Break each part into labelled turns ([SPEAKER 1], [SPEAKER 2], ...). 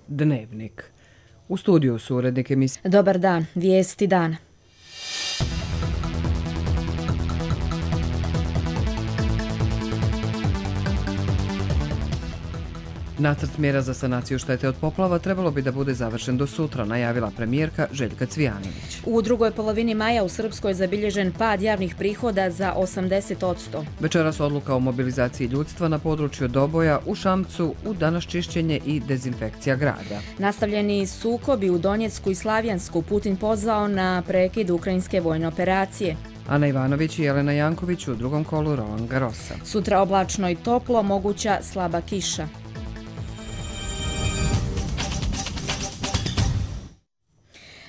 [SPEAKER 1] Dnevnik. U studiju su urednik emisije.
[SPEAKER 2] Dobar dan, vijesti dana.
[SPEAKER 1] Nacrt mjera za sanaciju štete od poplava trebalo bi da bude završen do sutra, najavila premijerka Željka Cvijanović.
[SPEAKER 2] U drugoj polovini maja u Srpskoj je zabilježen pad javnih prihoda za 80%.
[SPEAKER 1] Večeras odluka o mobilizaciji ljudstva na području Doboja, u Šamcu, u danas čišćenje i dezinfekcija grada.
[SPEAKER 2] Nastavljeni sukobi u Donjecku i Slavijansku, Putin pozvao na prekid ukrajinske vojne operacije.
[SPEAKER 1] Ana Ivanović i Jelena Janković u drugom kolu Roland Garrosa.
[SPEAKER 2] Sutra oblačno i toplo, moguća slaba kiša.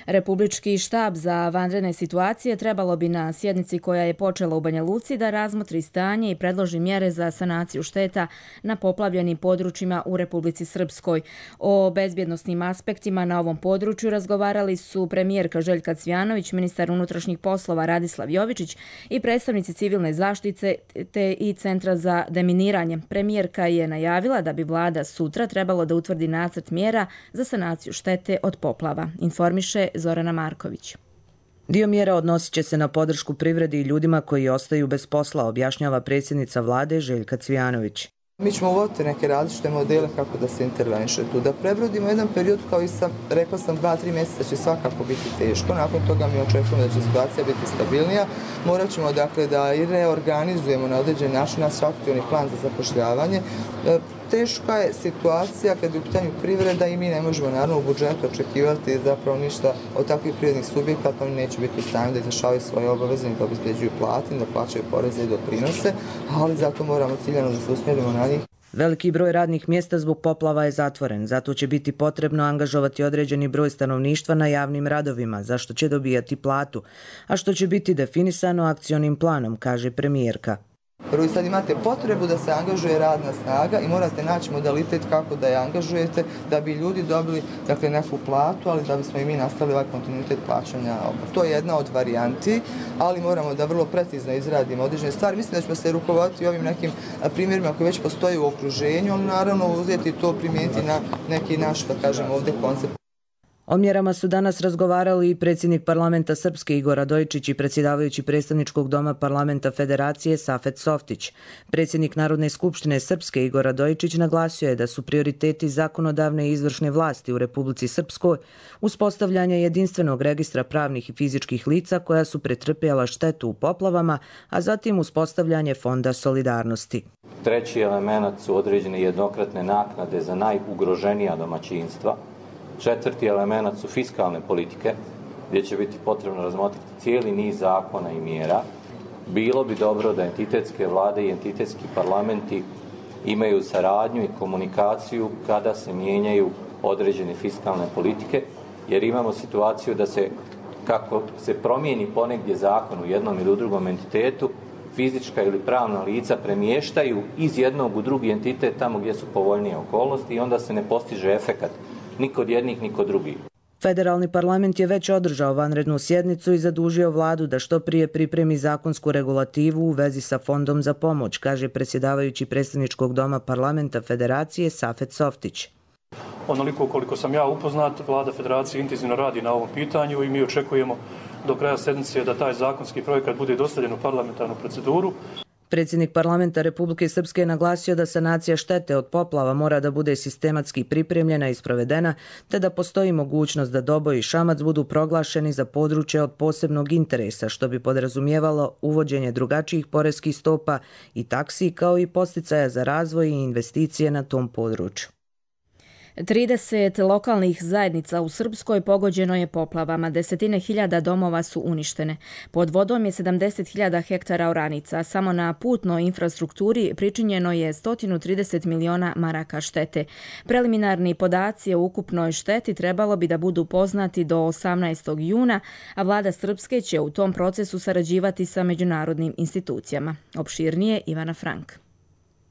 [SPEAKER 2] Republički štab za vanredne situacije trebalo bi na sjednici koja je počela u Banja Luci da razmotri stanje i predloži mjere za sanaciju šteta na poplavljenim područjima u Republici Srpskoj. O bezbjednosnim aspektima na ovom području razgovarali su premijerka Željka Cvijanović, ministar unutrašnjih poslova Radislav Jovičić i predstavnici civilne zaštite te i Centra za deminiranje. Premijerka je najavila da bi vlada sutra trebalo da utvrdi nacrt mjera za sanaciju štete od poplava. Informiše Zorana Marković.
[SPEAKER 3] Dio mjera odnosit će se na podršku privredi i ljudima koji ostaju bez posla, objašnjava predsjednica vlade Željka Cvijanović.
[SPEAKER 4] Mi ćemo uvoditi neke različite modele kako da se interveniše tu, da prebrodimo jedan period, kao i rekla sam 2-3 mjeseca će svakako biti teško, nakon toga mi očekujemo da će situacija biti stabilnija, morat ćemo dakle da i reorganizujemo na određen način naš aktivni plan za zapošljavanje. Teška je situacija kad je u pitanju privreda i mi ne možemo naravno u budžetu očekivati zapravo ništa od takvih privrednih subjekata, oni neće biti u stanju da izvršavaju svoje obaveze, da obezbeđuju plate, da plaćaju poreze i doprinose, ali zato moramo ciljano da se usmjerimo na njih.
[SPEAKER 3] Veliki broj radnih mjesta zbog poplava je zatvoren, zato će biti potrebno angažovati određeni broj stanovništva na javnim radovima, za što će dobijati platu, a što će biti definisano akcionim planom, kaže premijerka.
[SPEAKER 4] Prvo i sad imate potrebu da se angažuje radna snaga i morate naći modalitet kako da je angažujete da bi ljudi dobili dakle, neku platu, ali da bismo i mi nastavili ovaj kontinuitet plaćanja. To je jedna od varijanti, ali moramo da vrlo precizno izradimo određene stvari. Mislim da ćemo se rukovoditi ovim nekim primjerima koji već postoje u okruženju, ali naravno uzeti to primijeniti na neki naš, da kažemo ovdje, koncept.
[SPEAKER 3] O mjerama su danas razgovarali i predsjednik parlamenta Srpske Igor Radojičić i predsjedavajući predstavničkog doma parlamenta Federacije Safet Softić. Predsjednik Narodne skupštine Srpske Igor Radojičić naglasio je da su prioriteti zakonodavne i izvršne vlasti u Republici Srpskoj uspostavljanje jedinstvenog registra pravnih i fizičkih lica koja su pretrpjela štetu u poplavama, a zatim uspostavljanje Fonda solidarnosti.
[SPEAKER 5] Treći element su određene jednokratne naknade za najugroženija domaćinstva. Četvrti element su fiskalne politike, gdje će biti potrebno razmotriti cijeli niz zakona i mjera. Bilo bi dobro da entitetske vlade i entitetski parlamenti imaju saradnju i komunikaciju kada se mijenjaju određene fiskalne politike, jer imamo situaciju da se, kako se promijeni ponegdje zakon u jednom ili u drugom entitetu, fizička ili pravna lica premještaju iz jednog u drugi entitet tamo gdje su povoljnije okolnosti i onda se ne postiže efekat ni kod jednih, ni kod drugih.
[SPEAKER 3] Federalni parlament je već održao vanrednu sjednicu i zadužio vladu da što prije pripremi zakonsku regulativu u vezi sa Fondom za pomoć, kaže predsjedavajući predstavničkog doma parlamenta Federacije Safet Softić.
[SPEAKER 6] Onoliko koliko sam ja upoznat, vlada Federacije intenzivno radi na ovom pitanju i mi očekujemo do kraja sedmice da taj zakonski projekat bude dostavljen u parlamentarnu proceduru.
[SPEAKER 3] Predsjednik parlamenta Republike Srpske je naglasio da sanacija štete od poplava mora da bude sistematski pripremljena i sprovedena, te da postoji mogućnost da Doboj i Šamac budu proglašeni za područje od posebnog interesa, što bi podrazumijevalo uvođenje drugačijih poreskih stopa i taksi, kao i podsticaja za razvoj i investicije na tom području.
[SPEAKER 2] 30 lokalnih zajednica u Srpskoj pogođeno je poplavama, desetine hiljada domova su uništene. Pod vodom je 70.000 hektara oranica, samo na putnoj infrastrukturi pričinjeno je 130 miliona maraka štete. Preliminarni podaci o ukupnoj šteti trebalo bi da budu poznati do 18. juna, a vlada Srpske će u tom procesu sarađivati sa međunarodnim institucijama. Opširnije Ivana Frank.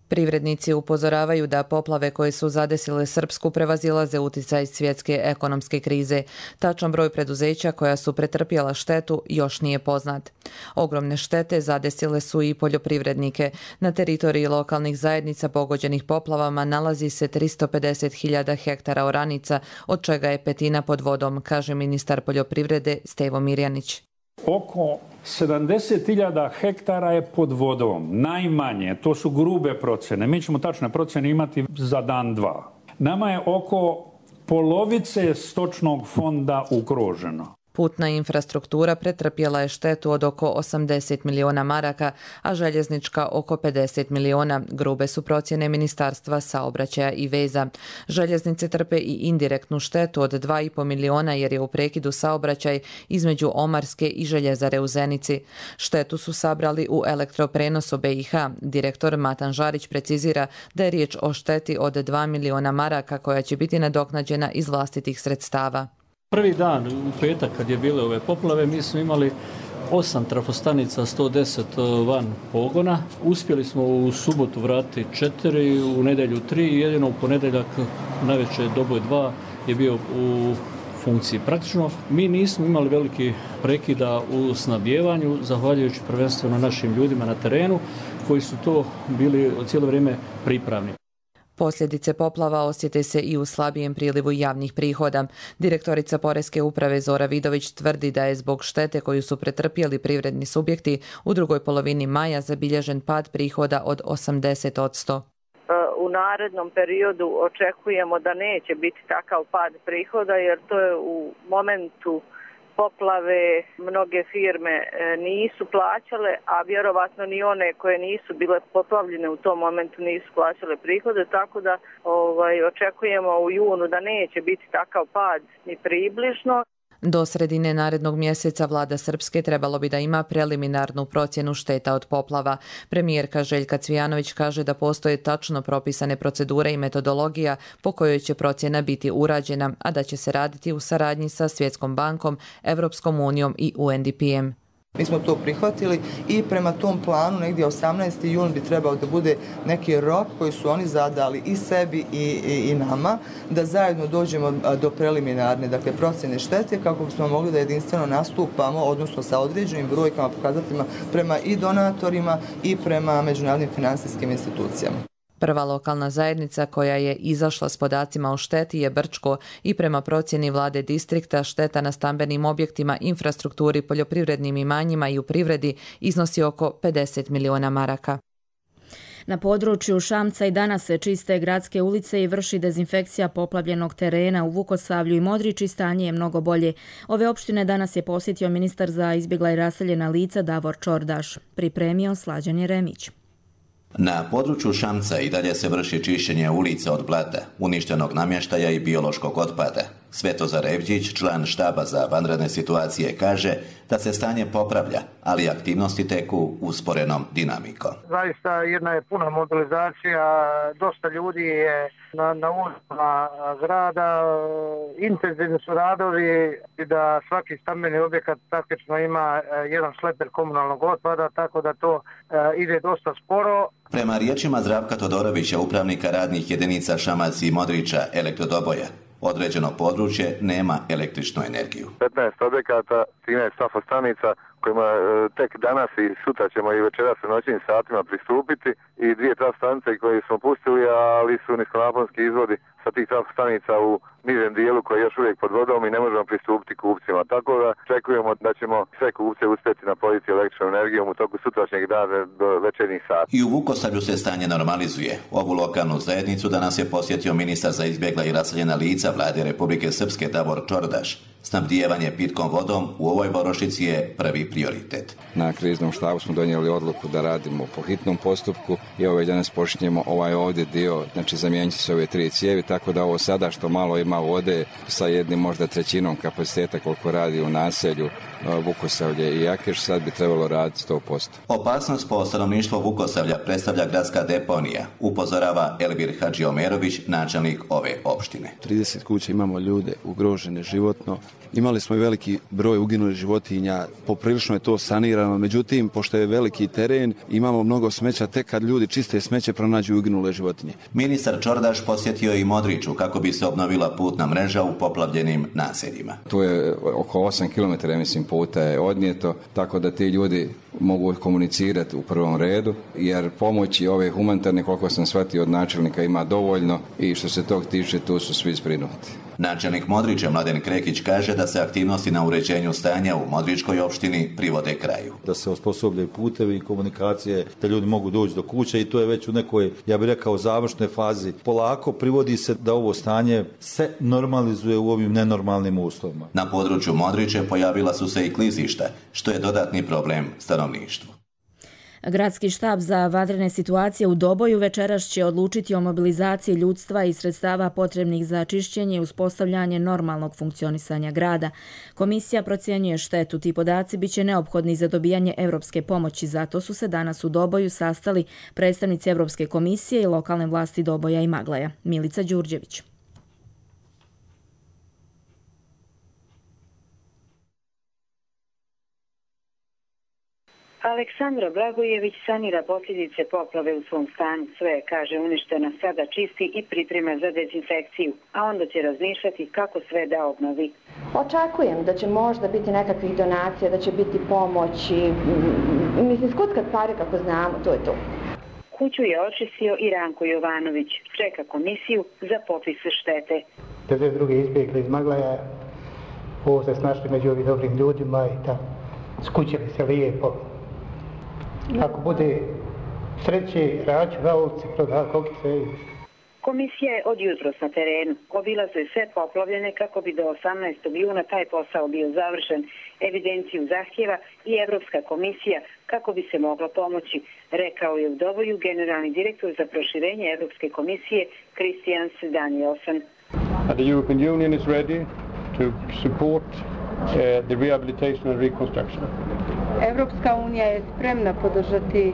[SPEAKER 3] Privrednici upozoravaju da poplave koje su zadesile Srpsku prevazilaze uticaj svjetske ekonomske krize. Tačan broj preduzeća koja su pretrpjela štetu još nije poznat. Ogromne štete zadesile su i poljoprivrednike. Na teritoriji lokalnih zajednica pogođenih poplavama nalazi se 350.000 hektara oranica, od čega je petina pod vodom, kaže ministar poljoprivrede Stevo Mirjanić.
[SPEAKER 7] Oko 70.000 hektara je pod vodom, najmanje, to su grube procjene. Mi ćemo tačne procjene imati za dan, dva. Nama je oko polovice stočnog fonda ugroženo.
[SPEAKER 3] Putna infrastruktura pretrpjela je štetu od oko 80 miliona maraka, a željeznička oko 50 miliona. Grube su procjene Ministarstva saobraćaja i veza. Željeznice trpe i indirektnu štetu od 2,5 miliona jer je u prekidu saobraćaj između Omarske i Željezare u Zenici. Štetu su sabrali u elektroprenosu BiH. Direktor Matan Žarić precizira da je riječ o šteti od 2 miliona maraka koja će biti nadoknađena iz vlastitih sredstava.
[SPEAKER 8] Prvi dan, u petak, kad je bile ove poplave, mi smo imali 8 trafostanica, 110 van pogona. Uspjeli smo u subotu vratiti 4, u nedjelju 3, jedino u ponedjeljak najveće doboj 2 je bio u funkciji. Praktično, mi nismo imali veliki prekida u snabdijevanju, zahvaljujući prvenstveno našim ljudima na terenu, koji su to bili cijelo vrijeme pripravni.
[SPEAKER 3] Posljedice poplava osjete se i u slabijem prilivu javnih prihoda. Direktorica Poreske uprave Zora Vidović tvrdi da je zbog štete koju su pretrpjeli privredni subjekti u drugoj polovini maja zabilježen pad prihoda od 80%.
[SPEAKER 9] U narednom periodu očekujemo da neće biti takav pad prihoda jer to je u momentu poplave mnoge firme nisu plaćale, a vjerovatno ni one koje nisu bile poplavljene u tom momentu nisu plaćale prihode, tako da očekujemo u junu da neće biti takav pad ni približno.
[SPEAKER 3] Do sredine narednog mjeseca vlada Srpske trebalo bi da ima preliminarnu procjenu šteta od poplava. Premijerka Željka Cvijanović kaže da postoje tačno propisane procedure i metodologija po kojoj će procjena biti urađena, a da će se raditi u saradnji sa Svjetskom bankom, Evropskom unijom i UNDP-em.
[SPEAKER 4] Mi smo to prihvatili i prema tom planu negdje 18. jun bi trebao da bude neki rok koji su oni zadali i sebi i nama, da zajedno dođemo do preliminarne procjene štete kako bismo mogli da jedinstveno nastupamo, odnosno sa određenim brojkama, pokazateljima prema i donatorima i prema međunarodnim finansijskim institucijama.
[SPEAKER 3] Prva lokalna zajednica koja je izašla s podacima o šteti je Brčko i prema procjeni vlade distrikta šteta na stambenim objektima, infrastrukturi, poljoprivrednim imanjima i u privredi iznosi oko 50 miliona maraka.
[SPEAKER 2] Na području Šamca i danas se čiste gradske ulice i vrši dezinfekcija poplavljenog terena. U Vukosavlju i Modriči stanje je mnogo bolje. Ove opštine danas je posjetio ministar za izbjegla i raseljena lica Davor Čordaš. Pripremio Slađan Jeremić.
[SPEAKER 10] Na području Šamca i dalje se vrši čišćenje ulica od blata, uništenog namještaja i biološkog otpada. Svetozar Evđić, član štaba za vanredne situacije, kaže da se stanje popravlja, ali aktivnosti teku usporenom dinamikom.
[SPEAKER 11] Zaista jedna je puna mobilizacija, dosta ljudi je na ulicama grada, intenzivni su radovi i da svaki stambeni objekat praktično ima jedan šleper komunalnog otpada, tako da to ide dosta sporo.
[SPEAKER 10] Prema riječima Zdravka Todorovića, upravnika radnih jedinica Šamac i Modriča elektrodoboja, određeno područje nema električnu energiju.
[SPEAKER 12] 15 objekata, 13 trafostanica kojima tek danas i sutra ćemo i večeras u noćnim satima pristupiti i 2 trafostanice koje smo pustili, ali su niskonaponski izvodi sa tih trafostanica u nižem dijelu koji je još uvijek pod vodom i ne možemo pristupiti kupcima. Tako da očekujemo da ćemo sve kupce uspjeti napojiti električnom energijom u toku sutrašnjeg dana do večernjih sati.
[SPEAKER 10] I u Vukosavlju se stanje normalizuje. Ovu lokalnu zajednicu danas je posjetio ministar za izbjegla i raseljena lica vlade Republike Srpske Davor Čordaš. Snabdijevanje pitkom vodom u ovoj varošici je prvi prioritet.
[SPEAKER 13] Na kriznom štabu smo donijeli odluku da radimo po hitnom postupku i ovaj danas počinjemo ovaj ovdje dio, znači zamijenit će se ove 3 cijevi, tako da ovo sada što malo ima vode sa jednim možda trećinom kapaciteta koliko radi u naselju Vukosavlje i Jakeš, sad bi trebalo raditi 100%.
[SPEAKER 10] Opasnost po stanovništvo Vukosavlja predstavlja gradska deponija, upozorava Elvir Hadžiomerović, načelnik ove opštine.
[SPEAKER 14] 30 kuća imamo ljude ugrožene životno, Imali smo i veliki broj uginulih životinja, poprilično je to sanirano, međutim, pošto je veliki teren, imamo mnogo smeća, tek kad ljudi čiste smeće pronađu uginule životinje.
[SPEAKER 10] Ministar Čordaš posjetio i Modriču kako bi se obnovila putna mreža u poplavljenim naseljima.
[SPEAKER 13] Tu je oko 8 km, mislim, puta je odnijeto, tako da ti ljudi mogu komunicirati u prvom redu, jer pomoći ove humanitarne, koliko sam shvatio od načelnika, ima dovoljno i što se tog tiče, tu su svi zbrinuti.
[SPEAKER 10] Načelnik Modrića Mladen Krekić kaže da se aktivnosti na uređenju stanja u Modričkoj opštini privode kraju.
[SPEAKER 15] Da se osposobljaju putevi i komunikacije, da ljudi mogu doći do kuće i to je već u nekoj, ja bih rekao, završnoj fazi. Polako privodi se da ovo stanje se normalizuje u ovim nenormalnim uslovima.
[SPEAKER 10] Na području Modriće pojavila su se i klizišta, što je dodatni problem stanovništvu.
[SPEAKER 2] Gradski štab za vanredne situacije u Doboju večeras će odlučiti o mobilizaciji ljudstva i sredstava potrebnih za čišćenje i uspostavljanje normalnog funkcionisanja grada. Komisija procjenjuje štetu. Ti podaci biće neophodni za dobijanje evropske pomoći. Zato su se danas u Doboju sastali predstavnici Evropske komisije i lokalne vlasti Doboja i Maglaja. Milica Đurđević.
[SPEAKER 16] Aleksandra Blagojević sanira posljedice poplave u svom stanu. Sve, kaže, uništena, sada čisti i priprema za dezinfekciju, a onda će razmišljati kako sve da obnovi.
[SPEAKER 17] Očekujem da će možda biti nekakvih donacija, da će biti pomoći. Mislim, skutka stvari kako znamo, to je to.
[SPEAKER 16] Kuću je očistio i Ranko Jovanović. Čeka komisiju za popis štete.
[SPEAKER 18] 52. izbjegli iz Maglaja, ovo se snašli među ovim dobrim ljudima i tako. Skućili se lijepo. Ako bude sreće, raću, valovci, proda, kokice.
[SPEAKER 16] Komisija je od jutros na terenu. Obilaze sve poplavljene kako bi do 18. juna taj posao bio završen. Evidenciju zahtjeva i Evropska komisija kako bi se moglo pomoći, rekao je u Doboju generalni direktor za proširenje Evropske komisije Christian Danielson.
[SPEAKER 19] The European Union is ready to support the rehabilitation and reconstruction.
[SPEAKER 20] Evropska unija je spremna podržati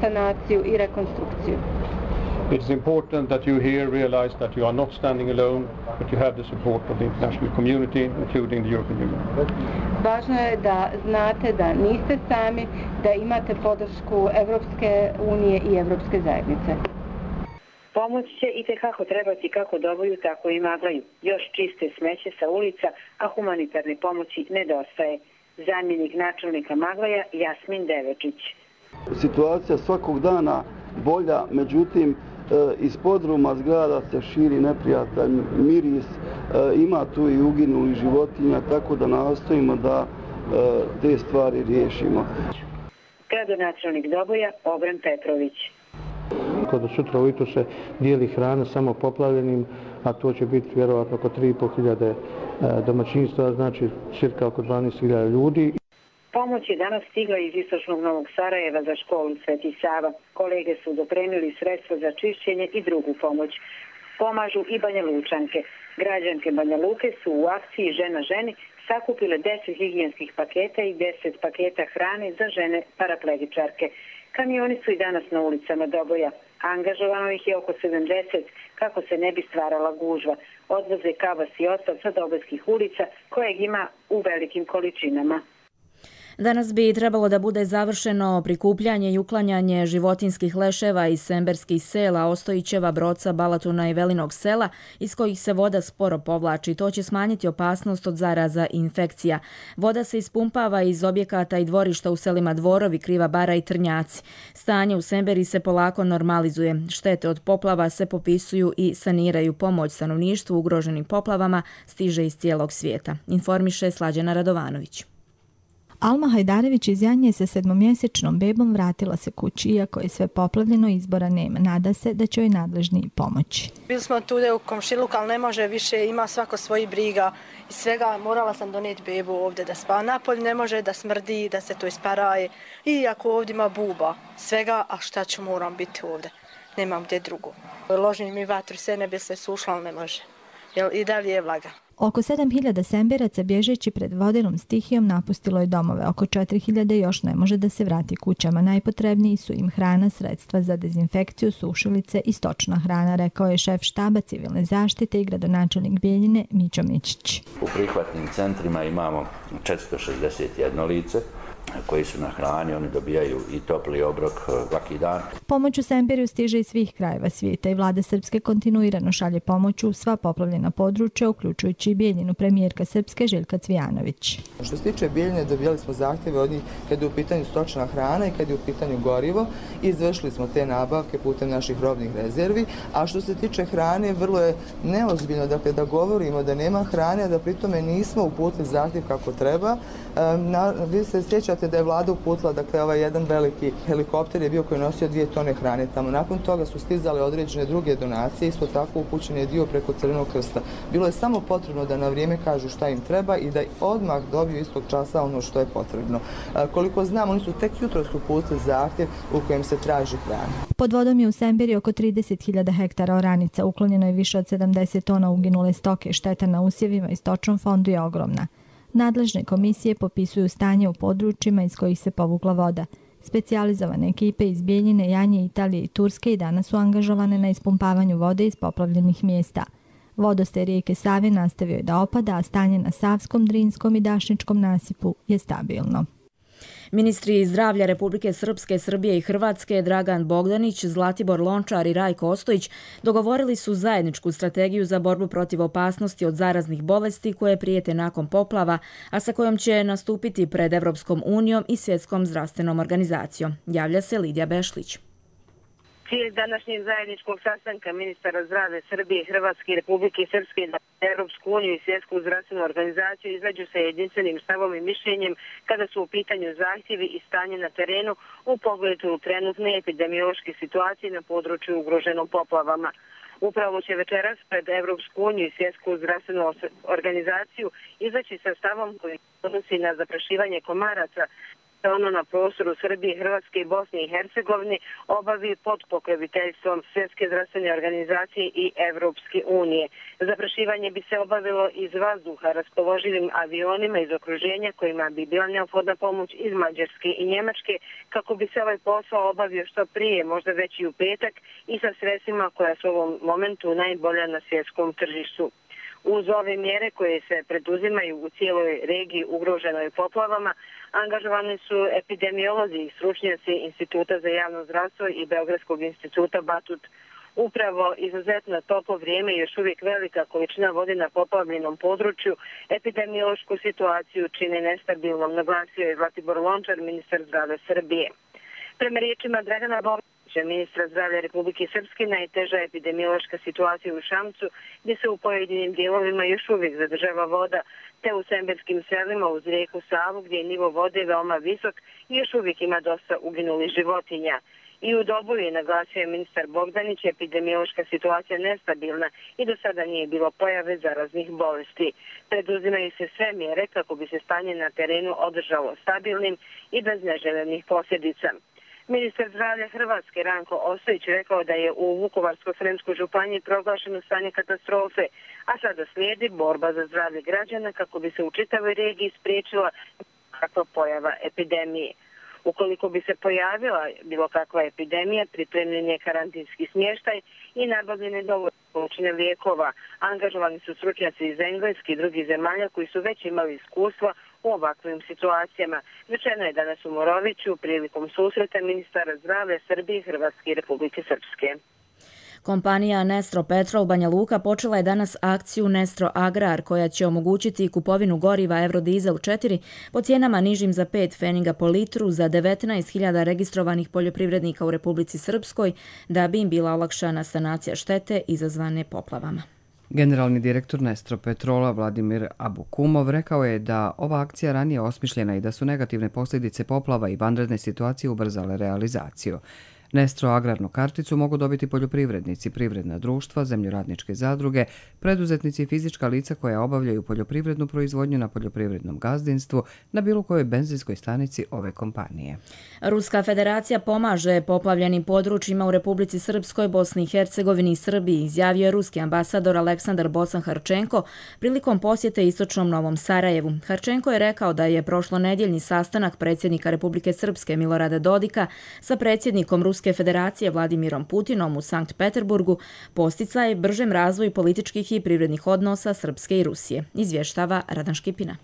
[SPEAKER 20] sanaciju i rekonstrukciju.
[SPEAKER 19] It is important that you here realize that you are not standing alone, but you have the support of the international community, including the European Union.
[SPEAKER 20] Važno je da znate da niste sami, da imate podršku Evropske unije i Evropske zajednice.
[SPEAKER 16] Pomoć će i tekako trebati kako Doboju, tako i Maglaju. Još čiste smeće sa ulica, a humanitarne pomoći nedostaje. Zamjenik načelnika Maglaja Jasmin Devečić.
[SPEAKER 21] Situacija svakog dana bolja, međutim iz podruma zgrada se širi neprijatan miris, ima tu i uginulih životinja, tako da nastojimo da te stvari riješimo.
[SPEAKER 16] Gradonačelnik Doboja Obran Petrović.
[SPEAKER 18] Kada sutra ujutro se dijeli hrana samo poplavljenim, a to će biti vjerovatno oko 3.500 domaćinstva, znači cirka oko 12.000 ljudi.
[SPEAKER 16] Pomoć je danas stigla iz istočnog Novog Sarajeva za školu Sveti Sava. Kolege su dopremili sredstva za čišćenje i drugu pomoć. Pomažu i Banja Lučanke. Građanke Banja Luke su u akciji Žena ženi sakupile 10 higijenskih paketa i 10 paketa hrane za žene paraplegičarke. Kamioni su i danas na ulicama Doboja. Angažovano ih je oko 70 kako se ne bi stvarala gužva. Odvoze kavas i otpad sa dobojskih ulica kojeg ima u velikim količinama.
[SPEAKER 2] Danas bi trebalo da bude završeno prikupljanje i uklanjanje životinskih leševa iz semberskih sela, Ostojićeva, Broca, Balatuna i Velinog sela, iz kojih se voda sporo povlači. To će smanjiti opasnost od zaraza i infekcija. Voda se ispumpava iz objekata i dvorišta u selima Dvorovi, Kriva bara i Trnjaci. Stanje u Semberi se polako normalizuje. Štete od poplava se popisuju i saniraju. Pomoć stanovništvu ugroženim poplavama stiže iz cijelog svijeta. Informiše Slađana Radovanović.
[SPEAKER 22] Alma Hajdarević iz Janje sa 7-mjesečnom bebom vratila se kući, iako je sve poplavljeno, izbora nema. Nada se da će joj nadležni pomoći.
[SPEAKER 23] Bili smo tu u komšiluku, ali ne može više, ima svako svoji briga i svega. Morala sam donijeti bebu ovdje da spava napolje, ne može da smrdi, da se to isparaje. I ako ovdje ima buba, svega, a šta ću, moram biti ovdje. Nemam gdje drugo. Ložim mi vatru, sve ne bi se sušla, ali ne može. jer i dalje je vlaga.
[SPEAKER 22] Oko 7.000 Sembiraca bježeći pred vodenom stihijom napustilo je domove. Oko 4.000 još ne može da se vrati kućama. Najpotrebniji su im hrana, sredstva za dezinfekciju, sušilice i stočna hrana, rekao je šef štaba civilne zaštite i gradonačelnik Bijeljine Mićo Mićić.
[SPEAKER 1] U prihvatnim centrima imamo 461 lice koji su na hrani, oni dobijaju i topli obrok svaki dan.
[SPEAKER 22] Pomoć u Sembirju stiže iz svih krajeva svijeta i vlada Srpske kontinuirano šalje pomoć u sva poplavljena područja, uključujući i Bijeljinu, premijerka Srpske Željka Cvijanović.
[SPEAKER 4] Što se tiče Bijeljine, dobijali smo zahtjeve od njih kad je u pitanju stočna hrana i kad je u pitanju gorivo i izvršili smo te nabavke putem naših robnih rezervi, a što se tiče hrane, vrlo je neozbiljno da govorimo da nema hrane, a da pritome nismo uputili zahtjev kako treba. Vi se sjećate da je vlada uputila, ovaj jedan veliki helikopter je bio koji je nosio 2 tone hrane tamo. Nakon toga su stizale određene druge donacije, isto tako upućen je dio preko Crvenog krsta. Bilo je samo potrebno da na vrijeme kažu šta im treba i da odmah dobiju istog časa ono što je potrebno. Koliko znam, oni su tek jutros uputili zahtjev u kojem se traži hrana.
[SPEAKER 22] Pod vodom je u Sembiri oko 30.000 hektara oranica, uklonjeno je više od 70 tona uginule stoke, šteta na usjevima i stočnom fondu je ogromna. Nadležne komisije popisuju stanje u područjima iz kojih se povukla voda. Specijalizovane ekipe iz Bijeljine, Janje, Italije i Turske i danas su angažovane na ispumpavanju vode iz poplavljenih mjesta. Vodostaj rijeke Save nastavio je da opada, a stanje na Savskom, Drinskom i Dašničkom nasipu je stabilno.
[SPEAKER 2] Ministri zdravlja Republike Srpske, Srbije i Hrvatske Dragan Bogdanić, Zlatibor Lončar i Rajko Ostojić dogovorili su zajedničku strategiju za borbu protiv opasnosti od zaraznih bolesti koje prijete nakon poplava, a sa kojom će nastupiti pred Evropskom unijom i Svjetskom zdravstvenom organizacijom. Javlja se Lidija Bešlić.
[SPEAKER 5] Cilj današnjeg zajedničkog sastanka ministara zdravlja Srbije, Hrvatske i Republike Srpske na Europsku uniju i Svjetsku zdravstvenu organizaciju izađu sa jedinstvenim stavom i mišljenjem kada su u pitanju zahtjevi i stanje na terenu u pogledu trenutne epidemiološke situacije na području ugroženom poplavama. Upravo će večeras pred Evropsku uniju i Svjetsku zdravstvenu organizaciju izaći sa stavom koji odnosi na zaprašivanje komaraca ono na prostoru Srbije, Hrvatske i Bosne i Hercegovine obavi pod pokroviteljstvom Svjetske zdravstvene organizacije i Evropske unije. Zaprašivanje bi se obavilo iz vazduha raspoloživim avionima iz okruženja kojima bi bila neophodna pomoć iz Mađarske i Njemačke kako bi se ovaj posao obavio što prije, možda već i u petak i sa sredstvima koja su u ovom momentu najbolja na svjetskom tržištu. Uz ove mjere koje se preduzimaju u cijeloj regiji ugroženoj poplavama, angažovani su epidemiolozi i stručnjaci Instituta za javno zdravstvo i Beogradskog instituta Batut. Upravo izuzetno toplo vrijeme i još uvijek velika količina vode na poplavljenom području epidemiološku situaciju čini nestabilnom, naglasio je Zlatibor Lončar, ministar zdravlja Srbije. Prema riječima Dragana Bogdanića, ministra zdravlja Republike Srpske, najteža epidemiološka situacija u Šamcu, gdje se u pojedinim dijelovima još uvijek zadržava voda, te u semberskim selima uz rijeku Savu, gdje je nivo vode veoma visok i još uvijek ima dosta uginulih životinja. I u Doboju je naglasio ministar Bogdanić, epidemiološka situacija nestabilna i do sada nije bilo pojave zaraznih bolesti. Preduzimaju se sve mjere kako bi se stanje na terenu održalo stabilnim i bez neželjenih posljedica. Ministar zdravlja Hrvatske Ranko Ostojić rekao da je u Vukovarsko-srijemskoj županiji proglašeno stanje katastrofe, a sada slijedi borba za zdravlje građana kako bi se u čitavoj regiji spriječila kakva pojava epidemije. Ukoliko bi se pojavila bilo kakva epidemija, pripremljen je karantinski smještaj i nabavljene dovoljne količine lijekova. Angažovani su stručnjaci iz Engleske i drugih zemalja koji su već imali iskustva u ovakvim situacijama. Rečeno je danas u Moroviću prilikom susreta ministara zdravlja Srbije, Hrvatske i Republike Srpske.
[SPEAKER 2] Kompanija Nestro Petrol Banja Luka počela je danas akciju Nestro Agrar koja će omogućiti kupovinu goriva Eurodizel 4 po cijenama nižim za 5 pfeninga po litru za 19.000 registrovanih poljoprivrednika u Republici Srpskoj da bi im bila olakšana sanacija štete izazvane poplavama.
[SPEAKER 6] Generalni direktor Nestro Petrola Vladimir Abukumov rekao je da ova akcija ranije osmišljena i da su negativne posljedice poplava i vanredne situacije ubrzale realizaciju. Nestro agrarnu karticu mogu dobiti poljoprivrednici, privredna društva, zemljoradničke zadruge, preduzetnici i fizička lica koja obavljaju poljoprivrednu proizvodnju na poljoprivrednom gazdinstvu na bilo kojoj benzinskoj stanici ove kompanije.
[SPEAKER 2] Ruska federacija pomaže poplavljenim područjima u Republici Srpskoj, Bosni i Hercegovini i Srbiji, izjavio je ruski ambasador Aleksandar Bocan-Harčenko prilikom posjete istočnom Novom Sarajevu. Harčenko je rekao da je prošlonedjeljni sastanak predsjednika Republike Srpske Milorada Dodika sa predsjednikom Ruske federacije Vladimirom Putinom u Sankt Peterburgu posticaj bržem razvoju političkih i privrednih odnosa Srpske i Rusije, izvještava Radan Škipina.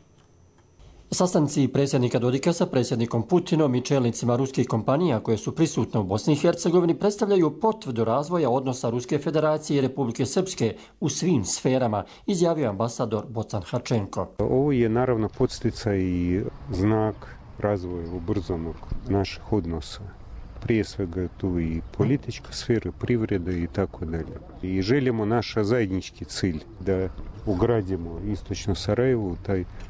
[SPEAKER 7] Sastanci predsjednika Dodika sa predsjednikom Putinom i čelnicima ruskih kompanija koje su prisutne u Bosni i Hercegovini predstavljaju potvrdu razvoja odnosa Ruske federacije i Republike Srpske u svim sferama, izjavio ambasador Bocan-Harčenko.
[SPEAKER 8] Ovo je naravno podsticaj i znak razvoja ubrzanog naših odnosa. Prije svega tu i politička sfera, privreda i tako dalje. I želimo naš zajednički cilj da ugradimo istočno Sarajevo,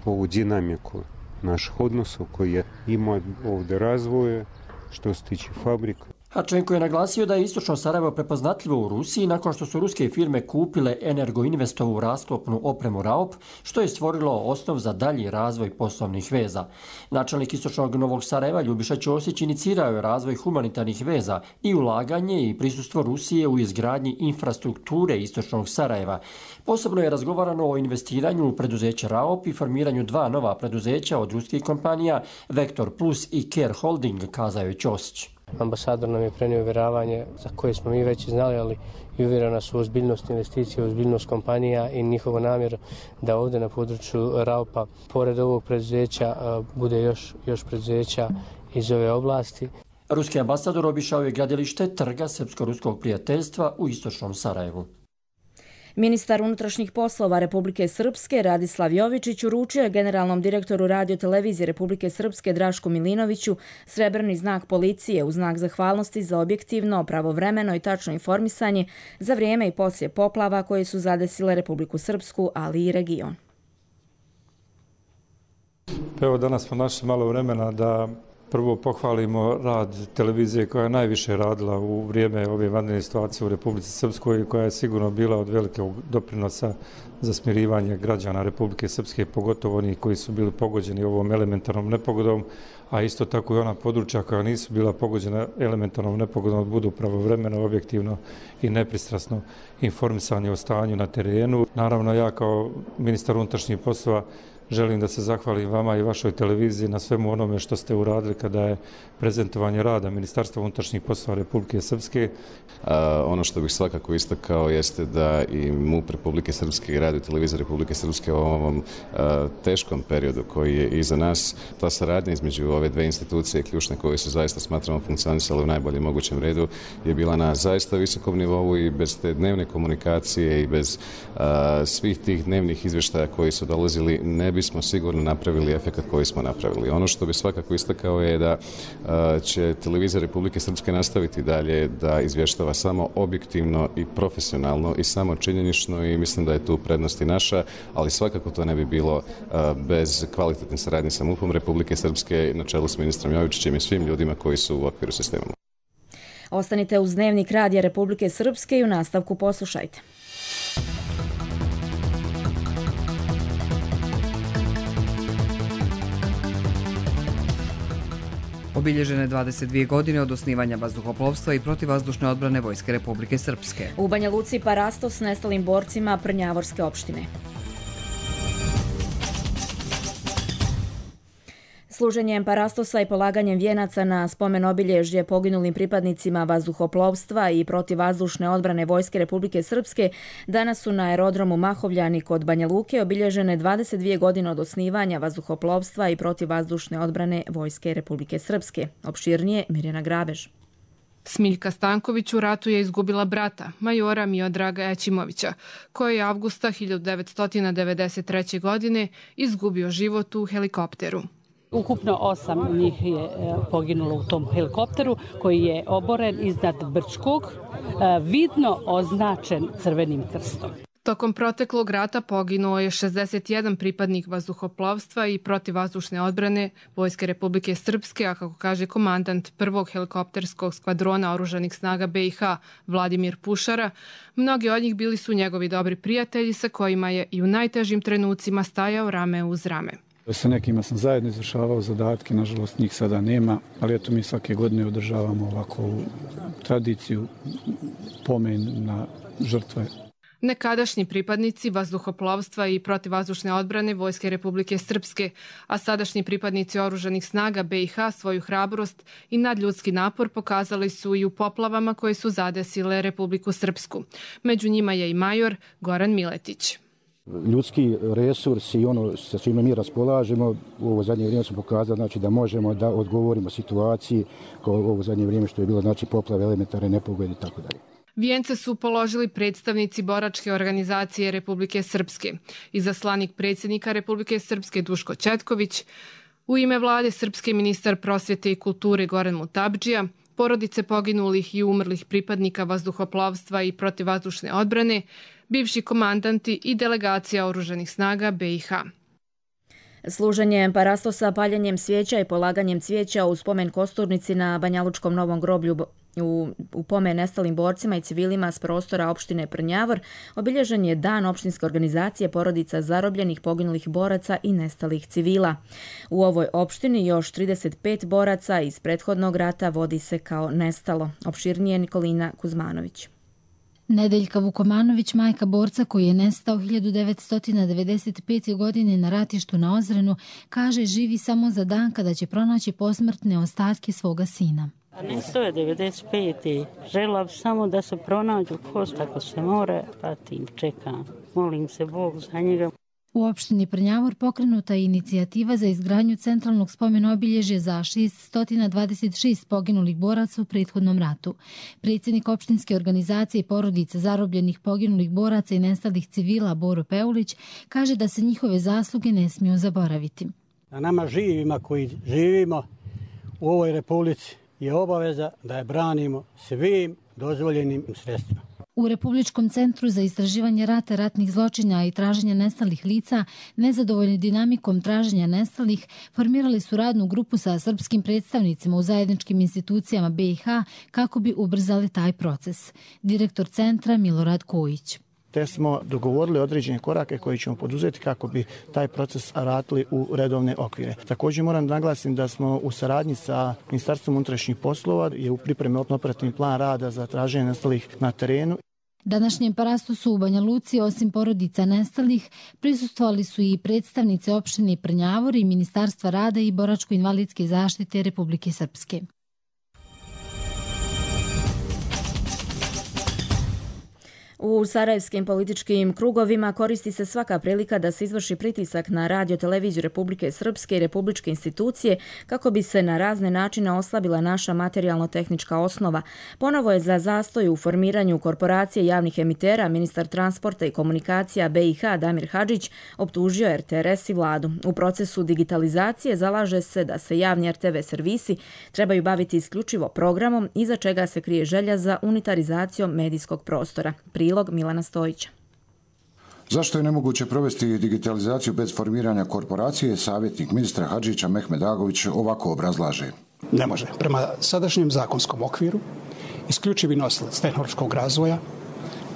[SPEAKER 8] ovu dinamiku naših odnosa koja ima ovdje razvoje što se tiče fabrika.
[SPEAKER 7] Harčenko je naglasio da je istočno Sarajevo prepoznatljivo u Rusiji nakon što su ruske firme kupile Energoinvestovu rasklopnu opremu RAOP, što je stvorilo osnov za dalji razvoj poslovnih veza. Načelnik istočnog Novog Sarajeva Ljubiša Ćosić inicirao je razvoj humanitarnih veza i ulaganje i prisustvo Rusije u izgradnji infrastrukture istočnog Sarajeva. Posebno je razgovarano o investiranju u preduzeće RAOP i formiranju 2 nova preduzeća od ruskih kompanija Vektor Plus i Care Holding, kazao je Ćosić.
[SPEAKER 9] Ambasador nam je prenio uvjeravanje za koje smo mi već znali, ali i uvjera nas u ozbiljnost investicije, ozbiljnost kompanija i njihovo namjer da ovdje na području RAOP-a, pored ovog preduzeća, bude još preduzeća iz ove oblasti.
[SPEAKER 7] Ruski ambasador obišao je gradilište Trga Srpsko-ruskog prijateljstva u istočnom Sarajevu.
[SPEAKER 2] Ministar unutrašnjih poslova Republike Srpske Radislav Jovičić uručio je generalnom direktoru radiotelevizije Republike Srpske Drašku Milinoviću srebrni znak policije u znak zahvalnosti za objektivno, pravovremeno i tačno informisanje za vrijeme i poslije poplava koje su zadesile Republiku Srpsku, ali i region.
[SPEAKER 24] Evo danas smo našli malo vremena da prvo pohvalimo rad televizije koja je najviše radila u vrijeme ove vanredne situacije u Republici Srpskoj i koja je sigurno bila od velikog doprinosa za smirivanje građana Republike Srpske, pogotovo onih koji su bili pogođeni ovom elementarnom nepogodom, a isto tako i ona područja koja nisu bila pogođena elementarnom nepogodom budu pravovremeno, objektivno i nepristrasno informisanje o stanju na terenu. Naravno, ja kao ministar unutrašnjih poslova želim da se zahvalim vama i vašoj televiziji na svemu onome što ste uradili kada je prezentovanje rada Ministarstva unutrašnjih poslova Republike Srpske.
[SPEAKER 25] Ono što bih svakako istakao jeste da i MUP Republike Srpske i Radio televizija Republike Srpske u ovom teškom periodu koji je iza nas, ta saradnja između ove dve institucije ključne koje se zaista smatramo funkcionisale u najboljem mogućem redu je bila na zaista visokom nivou i bez te dnevne komunikacije i bez svih tih dnevnih izvještaja koji su dolazili ne bismo sigurno napravili efekat koji smo napravili. Ono što bi svakako istakao je da će televizija Republike Srpske nastaviti dalje da izvještava samo objektivno i profesionalno i samo činjenično i mislim da je tu prednost i naša, ali svakako to ne bi bilo bez kvalitetne saradnje sa MUP-om Republike Srpske na čelu s ministrom Jovičićem i svim ljudima koji su u okviru sistema.
[SPEAKER 2] Ostanite uz Dnevnik Radija Republike Srpske i u nastavku poslušajte.
[SPEAKER 6] Obilježene 22 godine od osnivanja vazduhoplovstva i protivvazdušne odbrane Vojske Republike Srpske.
[SPEAKER 2] U Banja Luci parastos nestalim borcima Prnjavorske opštine. Služenjem parastosa i polaganjem vijenaca na spomen obilježje poginulim pripadnicima vazduhoplovstva i protivvazdušne odbrane Vojske Republike Srpske danas su na aerodromu Mahovljani kod Banja Luke obilježene 22 godine od osnivanja vazduhoplovstva i protivvazdušne odbrane Vojske Republike Srpske. Opširnije Mirjana Grabež.
[SPEAKER 26] Smiljka Stanković u ratu je izgubila brata, majora Miodraga Ećimovića, koji je avgusta 1993. godine izgubio život u helikopteru.
[SPEAKER 27] Ukupno 8 njih je poginulo u tom helikopteru koji je oboren iznad Brčkog, vidno označen crvenim krstom.
[SPEAKER 26] Tokom proteklog rata poginuo je 61 pripadnik vazduhoplovstva i protivvazdušne odbrane Vojske Republike Srpske, a kako kaže komandant prvog helikopterskog skvadrona oružanih snaga BiH Vladimir Pušara, mnogi od njih bili su njegovi dobri prijatelji sa kojima je i u najtežim trenucima stajao rame uz rame.
[SPEAKER 3] Sa nekima sam zajedno izvršavao zadatke, nažalost njih sada nema, ali eto mi svake godine održavamo ovako tradiciju, pomen na žrtve.
[SPEAKER 26] Nekadašnji pripadnici vazduhoplovstva i protivvazdušne odbrane Vojske Republike Srpske, a sadašnji pripadnici oružanih snaga BiH svoju hrabrost i nadljudski napor pokazali su i u poplavama koje su zadesile Republiku Srpsku. Među njima je i major Goran Miletić.
[SPEAKER 10] Ljudski resurs i ono sa čime mi raspolažemo u ovo zadnje vrijeme smo pokazali znači, da možemo da odgovorimo situaciji kao u ovo zadnje vrijeme što je bilo znači, poplave, elementarne nepogode i tako dalje.
[SPEAKER 26] Vijence su položili predstavnici boračke organizacije Republike Srpske. Izaslanik predsjednika Republike Srpske Duško Četković, u ime vlade Srpske ministar prosvjete i kulture Goran Mutabdžija, porodice poginulih i umrlih pripadnika vazduhoplovstva i protivvazdušne odbrane, bivši komandanti i delegacija oružanih snaga BiH.
[SPEAKER 2] Služenjem parastosa, paljenjem svijeća i polaganjem cvijeća u spomen kosturnici na Banjalučkom Novom groblju u pomen nestalim borcima i civilima s prostora opštine Prnjavor obilježen je dan opštinske organizacije porodica zarobljenih, poginulih boraca i nestalih civila. U ovoj opštini još 35 boraca iz prethodnog rata vodi se kao nestalo. Opširnije Nikolina Kuzmanović.
[SPEAKER 11] Nedeljka Vukomanović, majka borca koji je nestao 1995. godine na ratištu na Ozrenu, kaže živi samo za dan kada će pronaći posmrtne ostatke svoga sina.
[SPEAKER 12] Nestao je 95. Žela bi samo da se pronađu kost ako se more, pa tim čekam. Molim se Bog za njega.
[SPEAKER 11] U opštini Prnjavor pokrenuta je inicijativa za izgradnju centralnog spomena obilježja za 626 poginulih boraca u prethodnom ratu. Predsjednik opštinske organizacije porodica zarobljenih, poginulih boraca i nestalih civila Boro Peulić kaže da se njihove zasluge ne smiju zaboraviti.
[SPEAKER 13] A nama živima koji živimo u ovoj republici je obaveza da je branimo svim dozvoljenim sredstvima.
[SPEAKER 11] U Republičkom centru za istraživanje rata, ratnih zločina i traženja nestalih lica, nezadovoljni dinamikom traženja nestalih, formirali su radnu grupu sa srpskim predstavnicima u zajedničkim institucijama BiH kako bi ubrzali taj proces. Direktor centra Milorad Kojić.
[SPEAKER 14] Te smo dogovorili određene korake koje ćemo poduzeti kako bi taj proces vratili u redovne okvire. Također moram naglasiti da smo u saradnji sa Ministarstvom unutrašnjih poslova je u pripremi operativni plan rada za traženje nestalih na terenu.
[SPEAKER 11] Današnjem parastosu u Banja Luci, osim porodica nestalih, prisustvovali su i predstavnice opštine Prnjavor i Ministarstva rada i boračko-invalidske zaštite Republike Srpske.
[SPEAKER 2] U sarajevskim političkim krugovima koristi se svaka prilika da se izvrši pritisak na radio televiziju Republike Srpske i republičke institucije kako bi se na razne načine oslabila naša materijalno-tehnička osnova. Ponovo je za zastoj u formiranju korporacije javnih emitera ministar transporta i komunikacija BiH Damir Hadžić optužio RTRS i vladu. U procesu digitalizacije zalaže se da se javni RTV servisi trebaju baviti isključivo programom iza čega se krije želja za unitarizacijom medijskog prostora. Prilog Milana Stojića.
[SPEAKER 15] Zašto je nemoguće provesti digitalizaciju bez formiranja korporacije, savjetnik ministra Hadžića Mehmed Agović ovako obrazlaže.
[SPEAKER 28] Ne može. Prema sadašnjem zakonskom okviru, isključivi nosilac tehnološkog razvoja,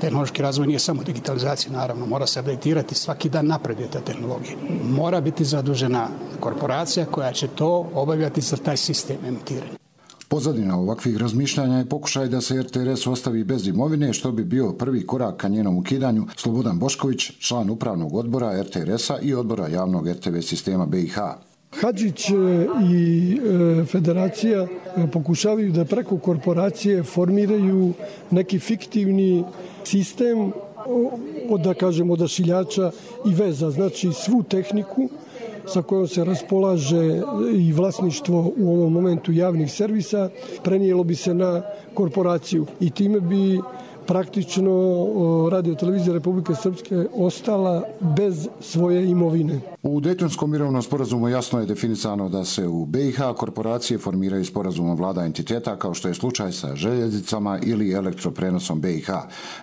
[SPEAKER 28] tehnološki razvoj nije samo digitalizacija, naravno, mora se updatirati, svaki dan napreduje ta tehnologija. Mora biti zadužena korporacija koja će to obavljati za taj sistem emitiranja.
[SPEAKER 15] Pozadina ovakvih razmišljanja je pokušaj da se RTRS ostavi bez imovine, što bi bio prvi korak ka njenom ukidanju. Slobodan Bošković, član upravnog odbora RTRS-a i odbora javnog RTV sistema BiH.
[SPEAKER 29] Hadžić i federacija pokušavaju da preko korporacije formiraju neki fiktivni sistem odašiljača i veza, znači svu tehniku sa kojom se raspolaže i vlasništvo u ovom momentu javnih servisa, prenijelo bi se na korporaciju i time bi praktično Radio televizija Republike Srpske ostala bez svoje imovine.
[SPEAKER 15] U Dejtonskom mirovnom sporazumu jasno je definisano da se u BiH korporacije formiraju sporazumom vlada entiteta kao što je slučaj sa željeznicama ili elektroprenosom BiH.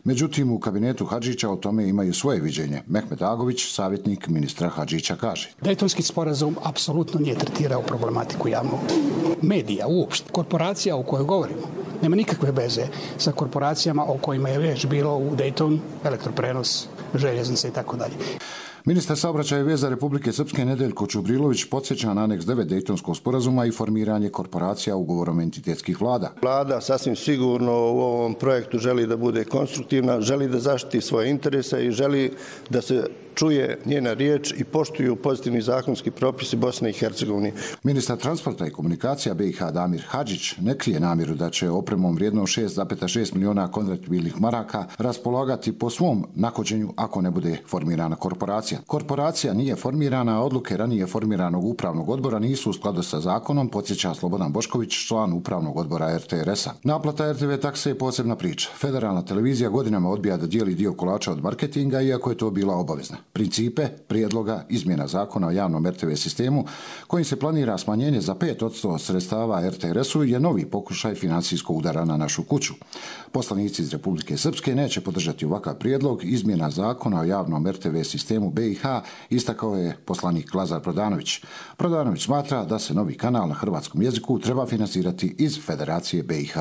[SPEAKER 15] Međutim, u kabinetu Hadžića o tome imaju svoje viđenje. Mehmet Agović, savjetnik ministra Hadžića, kaže.
[SPEAKER 28] Dejtonski sporazum apsolutno nije tretirao problematiku javnog medija uopšte. Korporacija o kojoj govorimo nema nikakve veze sa korporacijama o kojima je već bilo u Dejton, elektroprenos, željeznice i tako dalje.
[SPEAKER 15] Ministar saobraćaja i veza Republike Srpske Nedeljko Čubrilović podsjeća na aneks 9 Dejtonskog sporazuma i formiranje korporacija ugovorom entitetskih vlada.
[SPEAKER 1] Vlada sasvim sigurno u ovom projektu želi da bude konstruktivna, želi da zaštiti svoje interese i želi da se čuje njena riječ i poštuju pozitivni zakonski propisi Bosne i Hercegovine.
[SPEAKER 15] Ministar transporta i komunikacija BiH Damir Hadžić ne krije namjeru da će opremom vrijednom 6,6 miliona konvertibilnih maraka raspolagati po svom nahođenju ako ne bude formirana korporacija. Korporacija nije formirana, a odluke ranije formiranog upravnog odbora nisu u skladu sa zakonom, podsjeća Slobodan Bošković, član upravnog odbora RTRS-a. Naplata RTV takse je posebna priča. Federalna televizija godinama odbija da dijeli dio kolača od marketinga, iako je to bila obavezna. Principe prijedloga izmjena zakona o javnom RTV sistemu, kojim se planira smanjenje za 5% sredstava RTRS-u, je novi pokušaj financijskog udara na našu kuću. Poslanici iz Republike Srpske neće podržati ovakav prijedlog izmjena zakona o javnom RTV sistemu BiH, istakao je poslanik Lazar Prodanović. Prodanović smatra da se novi kanal na hrvatskom jeziku treba finansirati iz Federacije BiH.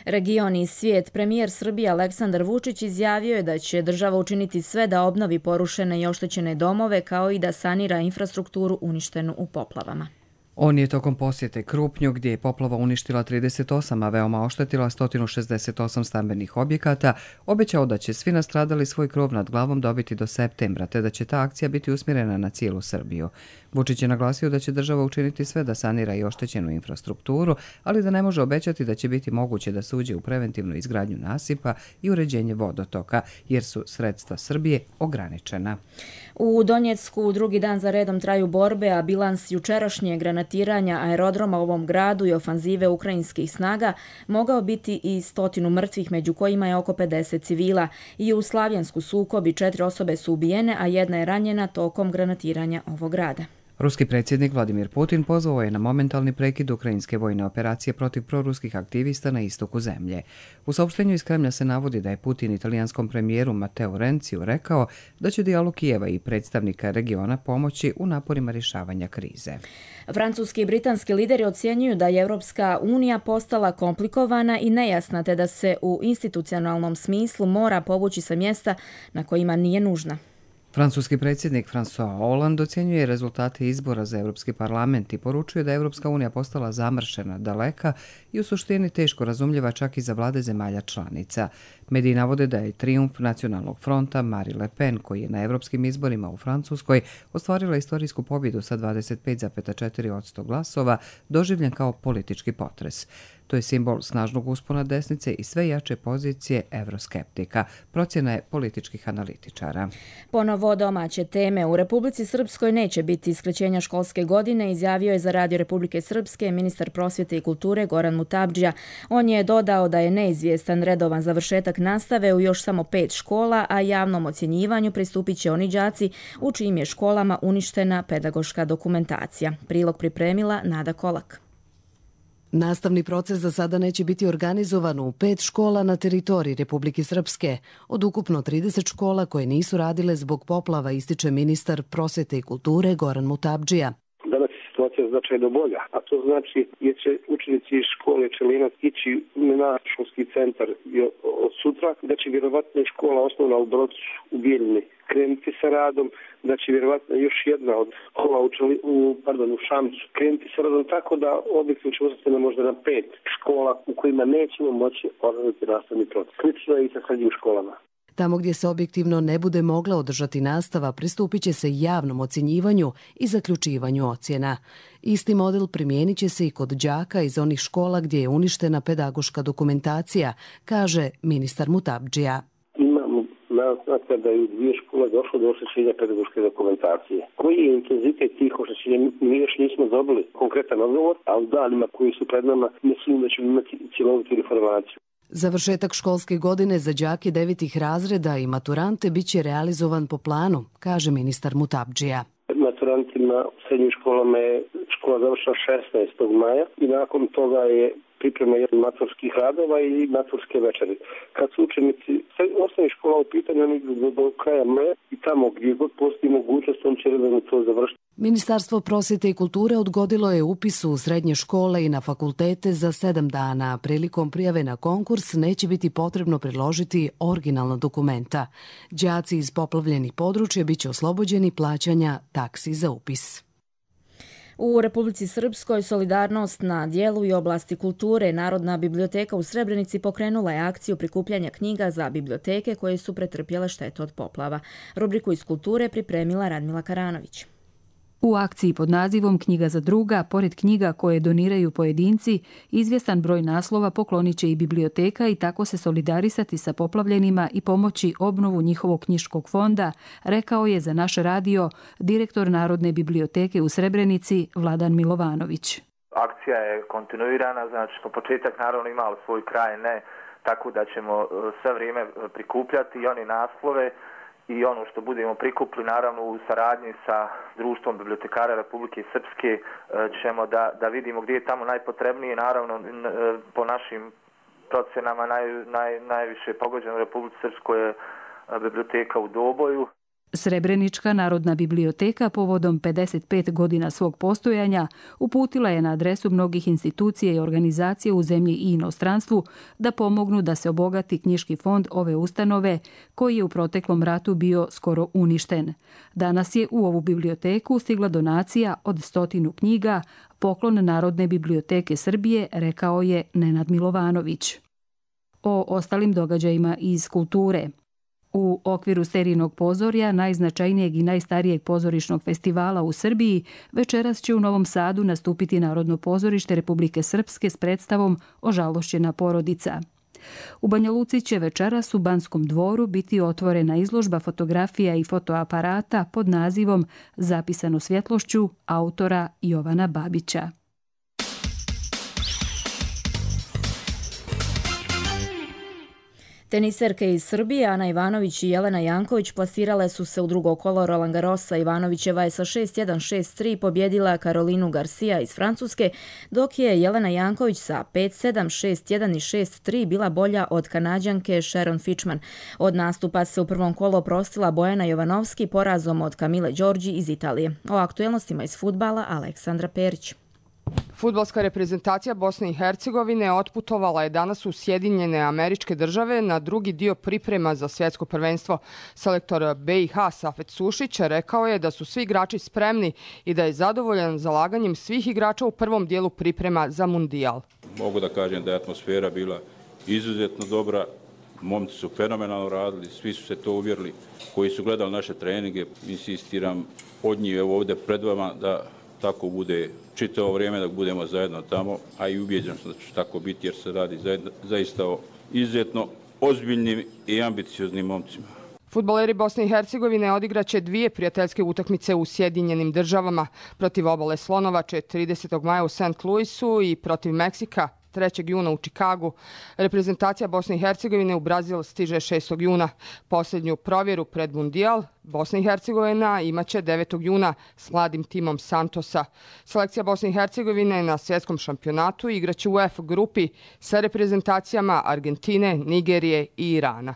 [SPEAKER 2] Region i svijet. Premijer Srbije Aleksandar Vučić izjavio je da će država učiniti sve da obnovi porušene i oštećene domove kao i da sanira infrastrukturu uništenu u poplavama.
[SPEAKER 6] On je tokom posjete Krupnju, gdje je poplava uništila 38, a veoma oštetila 168 stambenih objekata, obećao da će svi nastradali svoj krov nad glavom dobiti do septembra, te da će ta akcija biti usmjerena na cijelu Srbiju. Vučić je naglasio da će država učiniti sve da sanira i oštećenu infrastrukturu, ali da ne može obećati da će biti moguće da se uđe u preventivnu izgradnju nasipa i uređenje vodotoka, jer su sredstva Srbije ograničena.
[SPEAKER 2] U Donjecku drugi dan za redom traju borbe, a bilans jučerašnje granatiranja aerodroma u ovom gradu i ofanzive ukrajinskih snaga mogao biti i 100 mrtvih, među kojima je oko 50 civila. I u Slavjansku sukobi 4 osobe su ubijene, a jedna je ranjena tokom granatiranja ovog grada.
[SPEAKER 6] Ruski predsjednik Vladimir Putin pozvao je na momentalni prekid ukrajinske vojne operacije protiv proruskih aktivista na istoku zemlje. U saopštenju iz Kremlja se navodi da je Putin italijanskom premijeru Matteo Renziju rekao da će dijalog Kijeva i predstavnika regiona pomoći u naporima rješavanja krize.
[SPEAKER 2] Francuski i britanski lideri ocjenjuju da je Europska unija postala komplikovana i nejasna, te da se u institucionalnom smislu mora povući sa mjesta na kojima nije nužna.
[SPEAKER 6] Francuski predsjednik François Hollande ocjenjuje rezultate izbora za Europski parlament i poručuje da je Europska unija postala zamršena, daleka i u suštini teško razumljiva čak i za vlade zemalja članica. Mediji navode da je trijumf nacionalnog fronta Marine Le Pen, koji je na europskim izborima u Francuskoj ostvarila istorijsku pobjedu sa 25,4% glasova, doživljen kao politički potres. To je simbol snažnog uspona desnice i sve jače pozicije evroskeptika, procjena je političkih analitičara.
[SPEAKER 2] Ponovo domaće teme. U Republici Srpskoj neće biti skraćenja školske godine, izjavio je za Radio Republike Srpske ministar prosvjete i kulture Goran Mutabdžija. On je dodao da je neizvjestan redovan završetak nastave u još samo 5 škola, a javnom ocjenjivanju pristupit će oni đaci u čijim je školama uništena pedagoška dokumentacija. Prilog pripremila Nada Kolak.
[SPEAKER 4] Nastavni proces za sada neće biti organizovan u 5 škola na teritoriji Republike Srpske. Od ukupno 30 škola koje nisu radile zbog poplava, ističe ministar prosvjete i kulture Goran Mutabdžija.
[SPEAKER 16] Danas je situacija značajno bolja, a to znači jer će učenici iz škole Čelinac ići na školski centar od sutra, da će vjerovatno škola osnovna u Brocu u Bijeljini krenuti sa radom, da će vjerovatno još jedna od škola u Šamcu krenuti sa radom, tako da objektivno će ostati možda na 5 škola u kojima nećemo moći organizovati nastavni proces. Slično je i sa srednjim školama.
[SPEAKER 4] Tamo gdje se objektivno ne bude mogla održati nastava, pristupit će se javnom ocjenjivanju i zaključivanju ocjena. Isti model primijenit će se i kod đaka iz onih škola gdje je uništena pedagoška dokumentacija, kaže ministar Mutabdžija.
[SPEAKER 16] Imamo naznaka da je u 2 škole došlo do oštećenja pedagoške dokumentacije. Koji je intenzitet tih oštećenja? Mi još nismo dobili konkretan odgovor, a u danima koji su pred nama mislim da ćemo imati cjelovitu informaciju.
[SPEAKER 4] Završetak školske godine za đake 9. razreda i maturante biće realizovan po planu, kaže ministar Mutabdžija.
[SPEAKER 16] Maturantima u srednjim školama je škola završila 16. maja i nakon toga je priprema maturskih radova i maturske večeri. Kad su učenici osnovnih škola u pitanju, oni do kraja maja i tamo gdje god postoji mogućnost, on će redovno to završiti.
[SPEAKER 4] Ministarstvo prosvjete i kulture odgodilo je upis u srednje škole i na fakultete za 7 dana. Prilikom prijave na konkurs neće biti potrebno priložiti originalna dokumenta. Đaci iz poplavljenih područja biće oslobođeni plaćanja taksi za upis.
[SPEAKER 2] U Republici Srpskoj solidarnost na dijelu i oblasti kulture Narodna biblioteka u Srebrenici pokrenula je akciju prikupljanja knjiga za biblioteke koje su pretrpjele štetu od poplava. Rubriku iz kulture pripremila Radmila Karanović.
[SPEAKER 5] U akciji pod nazivom Knjiga za druga, pored knjiga koje doniraju pojedinci, izvjestan broj naslova poklonit će i biblioteka i tako se solidarisati sa poplavljenima i pomoći obnovu njihovog knjiškog fonda, rekao je za naš radio direktor Narodne biblioteke u Srebrenici Vladan Milovanović.
[SPEAKER 8] Akcija je kontinuirana, znači po početak naravno imali svoj kraj, ne tako da ćemo sve vrijeme prikupljati i oni naslove i ono što budemo prikupili, naravno u saradnji sa Društvom bibliotekara Republike Srpske ćemo da vidimo gdje je tamo najpotrebnije. Naravno, po našim procenama najviše pogođeno u Republici Srpskoj je biblioteka u Doboju.
[SPEAKER 5] Srebrenička Narodna biblioteka povodom 55 godina svog postojanja uputila je na adresu mnogih institucija i organizacija u zemlji i inostranstvu da pomognu da se obogati knjiški fond ove ustanove koji je u proteklom ratu bio skoro uništen. Danas je u ovu biblioteku stigla donacija od 100 knjiga, poklon Narodne biblioteke Srbije, rekao je Nenad Milovanović. O ostalim događajima iz kulture. U okviru serijnog pozorja, najznačajnijeg i najstarijeg pozorišnog festivala u Srbiji, večeras će u Novom Sadu nastupiti Narodno pozorište Republike Srpske s predstavom Ožalošćena porodica. U Banja Luci će večeras u Banskom dvoru biti otvorena izložba fotografija i fotoaparata pod nazivom Zapisano svjetlošću autora Jovana Babića.
[SPEAKER 2] Teniserke iz Srbije Ana Ivanović i Jelena Janković plasirale su se u drugo kolo Roland Garrosa. Ivanovićeva je sa 6-1, 6-3 pobjedila Karolinu Garcia iz Francuske, dok je Jelena Janković sa 5-7, 6-1 i 6-3 bila bolja od Kanađanke Sharon Fichman. Od nastupa se u prvom kolu oprostila Bojana Jovanovski porazom od Kamile Đorđi iz Italije. O aktuelnostima iz fudbala Aleksandra Perić.
[SPEAKER 17] Fudbalska reprezentacija Bosne i Hercegovine otputovala je danas u Sjedinjene Američke Države na drugi dio priprema za svjetsko prvenstvo. Selektor BiH Safet Sušić rekao je da su svi igrači spremni i da je zadovoljan zalaganjem svih igrača u prvom dijelu priprema za Mundijal.
[SPEAKER 18] Mogu da kažem da je atmosfera bila izuzetno dobra, momci su fenomenalno radili, svi su se to uvjerili koji su gledali naše treninge. Insistiram od njih ovdje pred vama da tako bude čitavo vrijeme dok budemo zajedno tamo, a i ubijeđen sam da će tako biti jer se radi zaista o izuzetno ozbiljnim i ambicioznim momcima.
[SPEAKER 17] Fudbaleri Bosne i Hercegovine odigraće 2 prijateljske utakmice u Sjedinjenim Državama. Protiv Obale Slonovače 30. maja u St. Louisu i protiv Meksika 3. juna u Čikagu. Reprezentacija Bosne i Hercegovine u Brazil stiže 6. juna. Posljednju provjeru pred Mundijal Bosna i Hercegovina imaće 9. juna s mladim timom Santosa. Selekcija Bosne i Hercegovine na svjetskom šampionatu igraće u F grupi sa reprezentacijama Argentine, Nigerije i Irana.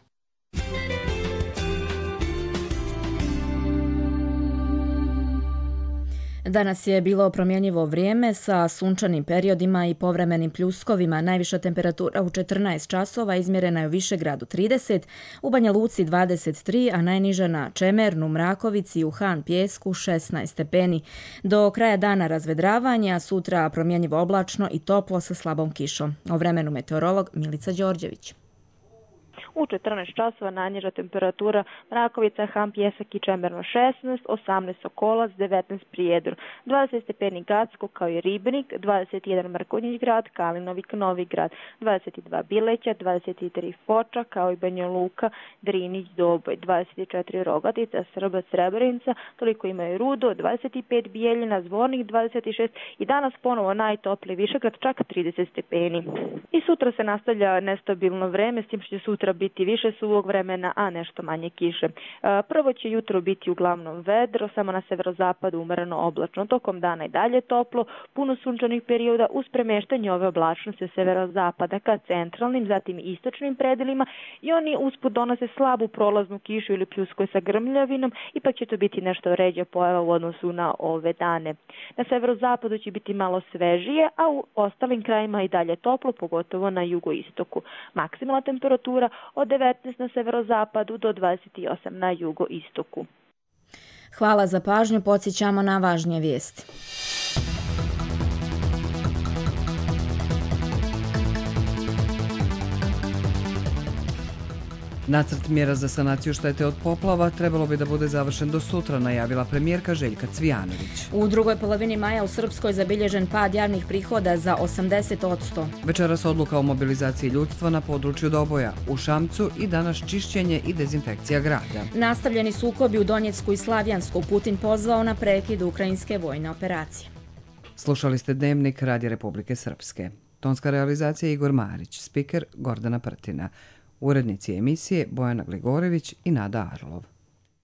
[SPEAKER 2] Danas je bilo promjenjivo vrijeme sa sunčanim periodima i povremenim pljuskovima. Najviša temperatura u 14 časova izmjerena je u Višegradu 30, u Banja Luci 23, a najniža na Čemernu, Mrakovici i u Han Pjesku 16 stepeni. Do kraja dana razvedravanja, sutra promjenjivo oblačno i toplo sa slabom kišom. O vremenu meteorolog Milica Đorđević.
[SPEAKER 7] U 14 časova najniža temperatura Mrakovica, Ham, Pjesak i Čemerno 16, 18 Sokolac, 19 Prijedor, 20 stepeni Gacko kao i Ribnik, 21 Mrkonjić grad, Kalinovik, Novi grad, 22 Bileća, 23 Foča kao i Banja Luka, Drinić, Doboj, 24 Rogatica, Srbac, Srebrenica, toliko imaju Rudo, 25 Bijeljina, Zvornik 26 i danas ponovo najtopliji Višegrad, čak 30 stepeni. I sutra se nastavlja nestabilno vreme, s tim što će sutra biti više suvog vremena, a nešto manje kiše. Prvo će jutro biti uglavnom vedro, samo na severozapadu umereno oblačno, tokom dana i dalje toplo, puno sunčanih perioda uz premeštanje ove oblačnosti severozapada ka centralnim, zatim istočnim predelima i oni usput donose slabu prolaznu kišu ili pljuskoj sa grmljavinom, ipak će to biti nešto ređa pojava u odnosu na ove dane. Na severozapadu će biti malo svežije, a u ostalim krajima i dalje toplo, pogotovo na jugoistoku. Maksimalna temperatura od 19 na severozapadu do 28 na jugoistoku.
[SPEAKER 2] Hvala za pažnju, podsjećamo na važnije vijesti.
[SPEAKER 6] Nacrt mjera za sanaciju štete od poplava trebalo bi da bude završen do sutra, najavila premijerka Željka Cvijanović.
[SPEAKER 2] U drugoj polovini maja u Srpskoj zabilježen pad javnih prihoda za 80%.
[SPEAKER 6] Večeras odluka o mobilizaciji ljudstva na području Doboja, u Šamcu i danas čišćenje i dezinfekcija grada.
[SPEAKER 2] Nastavljeni sukobi u Donjecku i Slavjansku, Putin pozvao na prekid ukrajinske vojne operacije.
[SPEAKER 6] Slušali ste Dnevnik Radija Republike Srpske. Tonska realizacija Igor Marić, spiker Gordana Prtina. Urednici emisije Bojana Gligorević i Nada Arlov.